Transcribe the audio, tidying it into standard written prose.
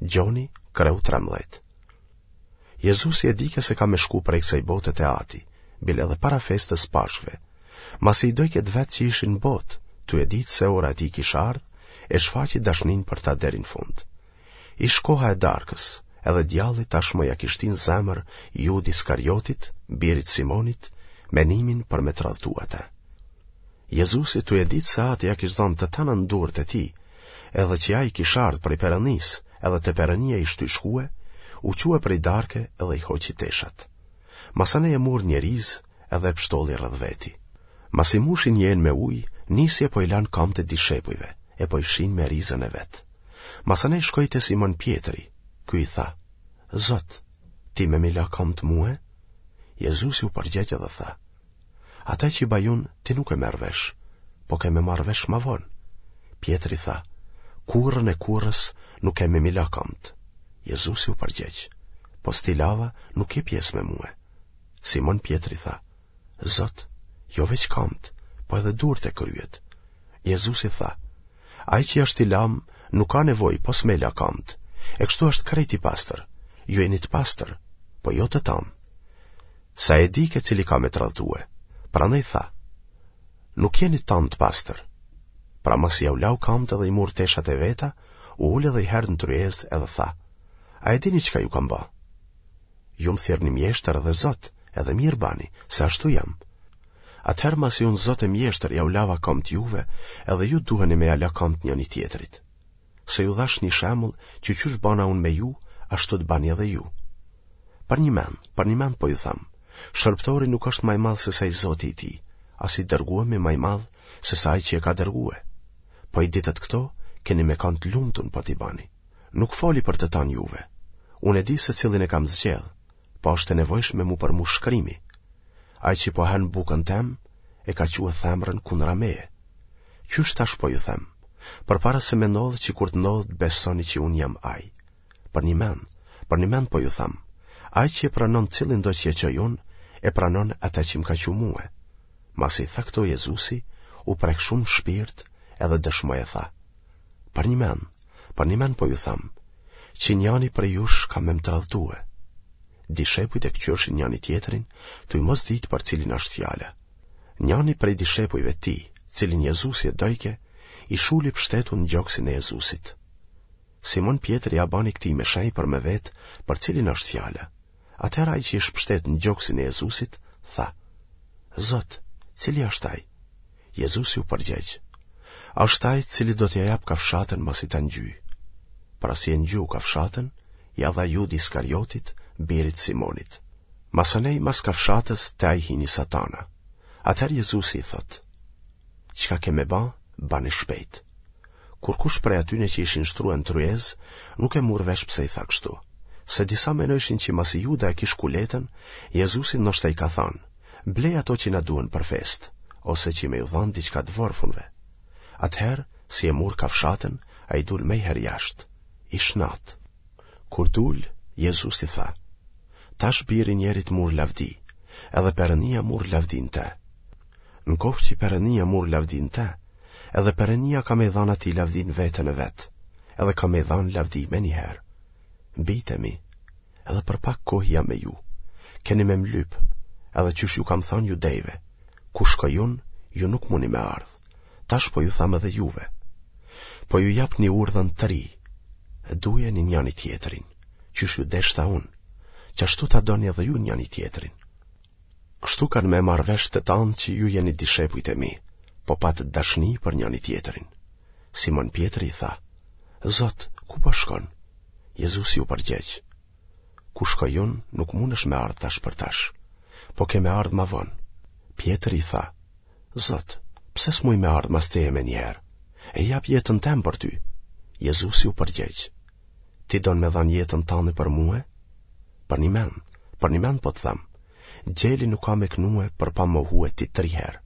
Gjoni, kreu 13. Jezusi e dike se ka me shku prej kësaj bote te Ati, bile edhe para festës Pashkëve. Masi i dojke të vet që ishin në botë, tu e ditë se ora e tij kish ardhë, e shfaqi dashninë për ta deri në fund. Ish koha e darkës, edhe djalli tashmë ia kish shti në zemër Judë Iskariotit, birit Simonit, menimin për me tradhtu atë. Jezusi tu e ditë se Ati ia kish dhanë të tana në durët e tij, edhe që ai kish ardhë prej Perënisë, edhe te Perënia ish tuj shkue, u çue prej darke edhe i hoqi teshat. Masanej e mur një rizë edhe e pshtolli rreth veti. Masi mushi një enë me ujë, nisi e po i lan kamët e dishepujve, e po i fshin me rizën e vet. Masanej shkoi te Simon Pjetri, ky i tha, Zot, ti me m'i la kamët mue? Jezusi u përgjegj edhe tha, Ata që baj unë, ti nuk e merr vesh, po ke me marrë vesh ma vonë. Pjetri tha, kurrën e kurrës nuk ke me m'i la kamët. Jezusi u përgjegj, po s't'i lava nuk ke pjesë me mue. Simon Pjetri tha, Zot, jo veç kamët, po edhe durt e kryet. Jezusi tha, ai që është i lamë, nuk ka nevojë pos me la kamët, e kështu është krejt i pastër, ju jeni të pastër, po jo të tanë. Se e dike cili ka me tradhtue, prandaj tha, nuk jeni tanë të pastër. Pra masi jau lau kamët edhe i mur teshat e veta, u ul edhe njëherë në tryezë edhe tha, a e dini çka ju kam ba? Ju më thirrni mjeshtër edhe zot, edhe mirë bani, se ashtu jam. Atëherë masi unë zot e mjeshtër jau lava kamët juve, edhe ju duheni me ja la kamët njëni-tjetrit. Se ju dhashë një shembull që qysh bana unë me ju, ashtu të bani edhe ju. Përnjëmend, përnjëmend po ju them, shërbëtori nuk është ma i madh se sa i zoti i tij, as i dërguemi ma i madh se sa ai që e ka dërgue. Po i ditët këto, keni me kanë të lumtun po t'i bani. Nuk foli për të tanë juve. Unë e di se cilin e kam zgjedh, po është e nevojshme m'u përmush shkrimi. Ai që po han bukën tem, e ka çue thembrën kundra meje. Qysh tash po ju them, përpara se me ndodhë që kur të ndodhë të besoni që unë jam ai. Përnjëmend, përnjëmend po ju them, ai që e pranon cilindo që e çoj unë, e pranon atë që më ka çu mue. Masi i tha këto Jezusi, u prek shumë në shpirt edhe dëshmoi e tha. Përnjëmend, përnjëmend po ju them, që njani prej jush ka me më tradhtue. Dishepujt e këqyrshin njani-tjetrin, tuj mos ditë për cilin është fjala. Njani prej dishepujve të tij, cilin Jezusi e dojke, i shuli pshtetun në gjoksin e Jezusit. Simon Pjetri ia bani këtij me shenjë për me vetë për cilin është fjala. Atëherë ai që ish pshtet në gjoksin e Jezusit, tha, Zot, cili është ai? Jezusi u përgjegj, Është ai cilit do t'ia jap kafshatën masi ta ngjyj. Pra si e ngjyu kafshatën, ia dha Judë Iskariotit, birit Simonit. Masanej mas kafshatës te ai hini satana. Atëherë Jezusi i thotë, Çka ke me ba, bane shpejt. Kurkush prej atyne që ishin shtrue në tryezë, nuk e mur vesh pse i tha kështu. Se disa menojshin që masi Juda e kish kuletën, Jezusi ndoshta i ka thanë, blej ato që na duhen për festë, ose që me ju dhanë diçka të vorfunve. Atëherë, si e mur kafshatën, ai dul menjëherë jashtë. Ish natë. Kur dul, Jezusi tha, Tash biri i njerit mur lavdi, edhe Perënia mur lavdi në te. Në koftë që Perënia mur lavdi në te, edhe Perënia ka me i dhanë atij lavdi në veten e vet, edhe ka me i dhanë lavdi menjëherë. Bijtë e mi, edhe për pak kohë jam me ju. Keni me më lypë, edhe qysh ju kam thanë judejve, ku shkoj unë, ju nuk muni me ardhë. Tash po ju tham edhe juve. Po ju jap një urdhën të ri, dujeni njani-tjetrin, qysh ju deshta unë, qashtu ta doni edhe ju njani-tjetrin. Kështu kanë me marrë vesh të tanë që ju jeni dishepujt e mi, po patët dashni për njani-tjetrin. Simon Pjetri i tha, Zot, ku po shkon? Jezusi u përgjegj, Ku shkoj unë, nuk mundesh me ardhë tash për tash, po ke me ardhë ma vonë. Pjetri i tha, Zot, pse s'muj me ardhë mas teje menjëherë? E jap jetën tem për ty. Jezusi u përgjegj, Ti don me dhanë jetën tane për mue? Përnjëmend, përnjëmend po të them, gjeli nuk ka me knue për pa mohue ti tri herë.